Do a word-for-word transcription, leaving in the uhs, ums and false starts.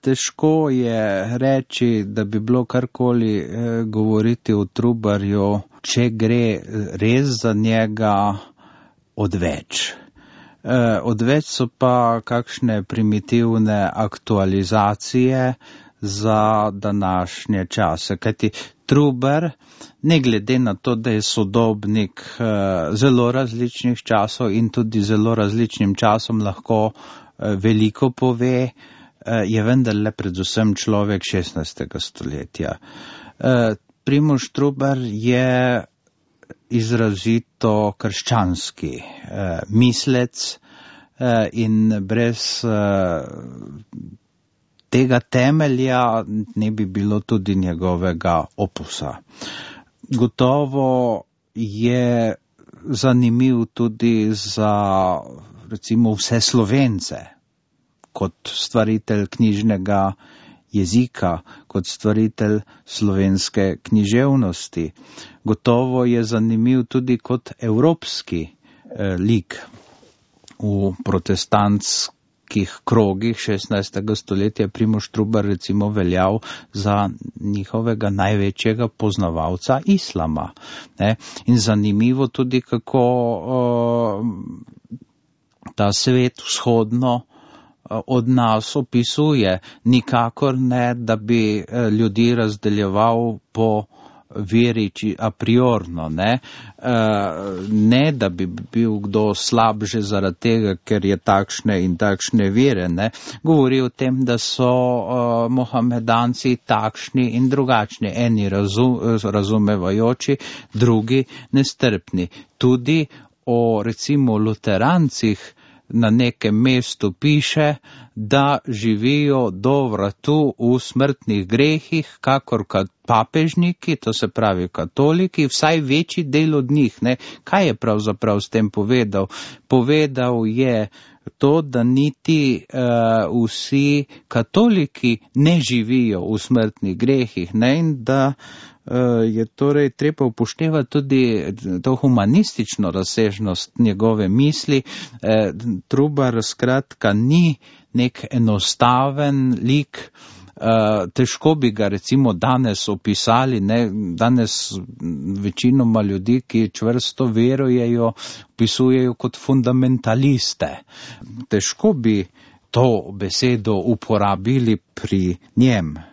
težko je reči, da bi bilo karkoli eh, govoriti o Trubarju, če gre res za njega odveč. Eh, odveč so pa kakšne primitivne aktualizacije za današnje čase, kajti Trubar, ne glede na to, da je sodobnik eh, zelo različnih časov in tudi zelo različnim časom lahko eh, veliko pove, eh, je vendarle predvsem človek šestnajstega stoletja. Eh, Primož Trubar je izrazito krščanski eh, mislec eh, in brez eh, tega temelja ne bi bilo tudi njegovega opusa. Gotovo je zanimiv tudi za recimo vse Slovence, kot stvaritelj knjižnega jezika, kot stvaritelj slovenske književnosti. Gotovo je zanimiv tudi kot evropski eh, lik v protestantskih krogih šestnajstega stoletja. Primož Trubar recimo veljal za njihovega največjega poznavalca islama. Ne? In zanimivo tudi, kako uh, ta svet vzhodno uh, od nas opisuje. Nikakor ne, da bi uh, ljudi razdeljeval po veri a priorno, ne? Uh, ne, da bi bil kdo slab že zaradi tega, ker je takšne in takšne vere, ne? Govori o tem, da so uh, mohamedanci takšni in drugačni, eni razum, razumevajoči, drugi nestrpni. Tudi o recimo luterancih na nekem mestu piše, da živijo do vratu v smrtnih grehih, kakor papežniki, to se pravi katoliki, vsaj večji del od njih. Ne? Kaj je pravzaprav s tem povedal? Povedal je to, da niti uh, vsi katoliki ne živijo v smrtnih grehih, ne? In da je torej treba upoštevati tudi to humanistično razsežnost njegove misli. Trubar skratka ni nek enostaven lik, težko bi ga recimo danes opisali, ne? Danes večinoma ljudi, ki čvrsto verujejo, opisujejo kot fundamentaliste. Težko bi to besedo uporabili pri njem.